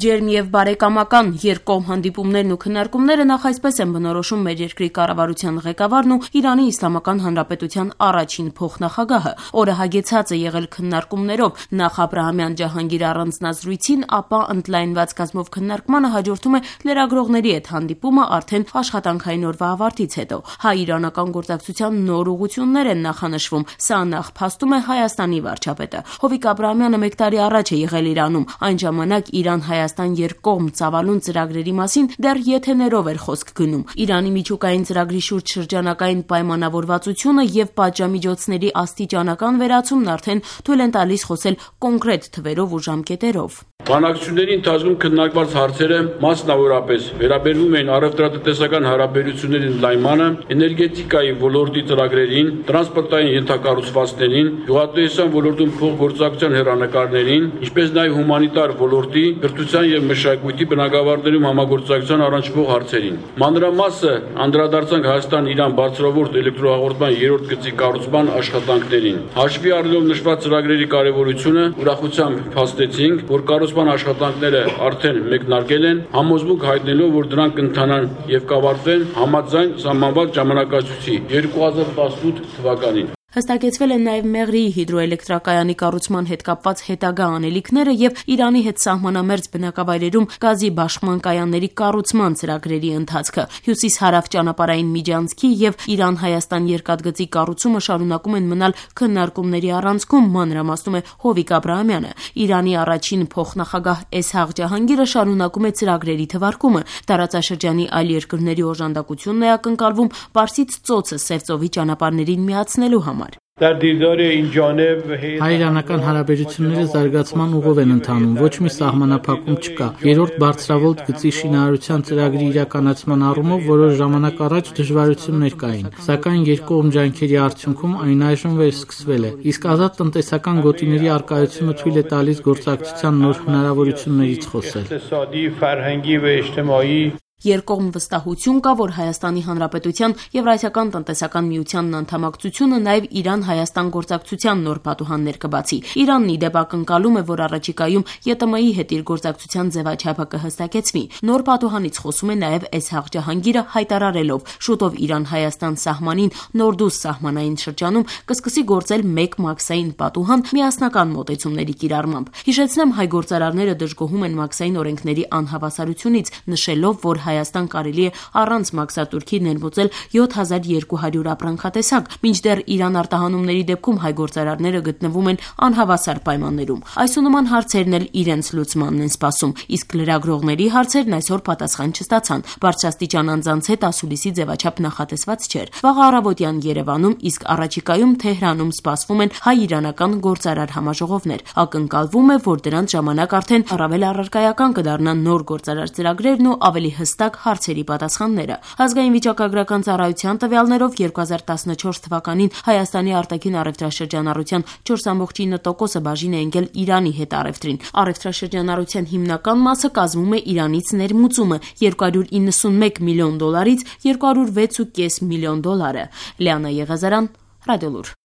Ջերմ եւ բարեկամական երկկողմ հանդիպումներն ու քննարկումները նախ այսպես են բնորոշում մեր երկրի կառավարության ղեկավարն ու Իրանի Իսլամական Հանրապետության առաջին փոխնախագահը։ Օրը հագեցած է եղել քննարկումներով, նախ Աբրահամյան Ջահանգիր առանձնազրույցին, ապա ընդլայնված կազմով քննարկմանը հաջորդում է լրագրողների հետ հանդիպումը արդեն աշխատանքային օրվա ավարտից հետո։ Հայ-իրանական գործակցության նոր ուղղություններ են նախանշվում, սա նախ փաստում է Հայաստանի վարչապետը։ Հովիկ Աբրահամյանը 1 տարի առաջ է եղել Իրանում, այն ժամանակ Իրան-Հայաստան երկկողմ ծավալուն ծրագրերի մասին դեռ եթեներով էր խոսք գնում։ Իրանի միջուկային ծրագրի շուրջ շրջանակային պայմանավորվածությունը եւ պատժամիջոցների աստիճանական վերացումն արդեն թույլ են տալիս խոսել կոնկրետ թվերով ու ժամկետերով։ Բանակցությունների ընթացքում քննարկված հարցերը մասնավորապես վերաբերվում են առևտրատնտեսական հարաբերությունների ընդլայնմանը, էներգետիկայի ոլորտի ծրագրերին, տրանսպորտային ենթակառուցվածքներին, գյուղատնտեսության ոլորտում փոխգործակցության հեռանկարներին, ինչպես նաև հումանիտար ոլորտի, կրթության եւ մշակույթի բնագավառներում համագործակցության առնչվող հարցերին։ Մանրամասը անդրադարձանք Հայաստան-Իրան բարձրավուրդ էլեկտրոհաղորդման 3-րդ գծի կառուցման աշխատանքներին։ Հաշվի առնելով նշված ծրագրերի կարևորությունը, ուրախությամբ փաստեցինք, որ աշխատանքները արդեն մեկնարկել են, համոզմունք հայտնելով, որ դրանք կընթանան եւ կավարտվեն համաձայն սահմանված ժամանակացույցի 2018 թվականին։ Հստակեցվել են նաև Մեղրիի հիդրոէլեկտրակայանի կառուցման հետ կապված հետագա անելիքները եւ Իրանի հետ սահմանամերձ բնակավայրերում գազի բաշխման կայանների կառուցման ծրագրերի ընթացքը։ Հյուսիս-հարավ ճանապարհային միջանցքի եւ Իրան-Հայաստան երկաթգծի կառուցումը շարունակում են մնալ քննարկումների առանցքում, մանրամասնում է Հովիկ Աբրահամյանը։ Իրանի առաջին փոխնախագահ Էսհաղ Ջահանգիրը շարունակում է ծրագրերի թվարկումը։ Տարածաշրջանի այլ երկրների օժանդակությունն է ակնկալվում Պարսից ծոցը Սև ծովի ճանապարհներին միացնելու համար։ Հայ-իրանական հարաբերությունները զարգացման ուղով են ընթանում, ոչ մի սահմանափակում չկա։ 3-րդ բարձրավոլտ գծի շինարարության ծրագրի իրականացման առումով որոշ ժամանակ առաջ դժվարություններ կային, սակայն երկկողմ ջանքերի արդյունքում այն այժմ վերսկսվել է։ Իսկ ազատ տնտեսական գոտիների առկայությունը թույլ է տալիս գործակցության նոր հնարավորություններից խոսել։ Երկկողմ վստահություն կա, որ Հայաստանի Հանրապետության Եվրասիական տնտեսական միությանն անդամակցությունը նաև Իրան-Հայաստան գործակցության նոր պատուհաններ կբացի։ Իրանն ի դեպ ակնկալում է, որ առաջիկայում ԵՏՄ-ի հետ իր գործակցության ձևաչափը կհստակեցվի։ Նոր պատուհանից խոսում է նաև Էսհաղ Ջահանգիրը, հայտարարելով շուտով Իրան-Հայաստան սահմանին Նորդուս սահմանային շրջանում կսկսի գործել մեկ մաքսային պատուհան միասնական մոտեցումների կիրառմամբ։ Հիշեցնեմ, հայ գործարարները դժգոհում են մաքսային օրենքների անհավասարությունից, նշելով, որ Հայաստան կարելի է առանց մաքսատուրքի ներմուծել 7200 ապրանքատեսակ, մինչդեռ Իրան արտահանումների դեպքում հայ գործարարները գտնվում են անհավասար պայմաններում։ Այսոնման հարցերն էլ իրենց լուծմանն են սպասում, իսկ լրագրողների հարցերն այսօր պատասխան չստացան։ Բարձրաստիճան անձանց հետ ասուլիսի ձևաչափ նախատեսված չէր։ Վաղ առավոտյան Երևանում, իսկ առաջիկայում Թեհրանում սպասվում են հայ-իրանական գործարար համաժողովներ։ Ակնկալվում է, որ դրանց ժամանակ արդեն առավել առարկայական կդառնան նոր գործարար ծրագրերն ու ավելի հստակ հարցերի պատասխանները։ Ազգային վիճակագրական ծառայության տվյալներով 2014 թվականին Հայաստանի արտաքին առևտրաշրջանառության 4.9%-ը բաժին է ընկել Իրանի հետ առևտրին։ Առևտրաշրջանառության հիմնական մասը կազմում է Իրանից ներմուծումը $291 միլիոնից $206.5 միլիոն։ Լիանա Եղազարյան, Ռադիոլուր։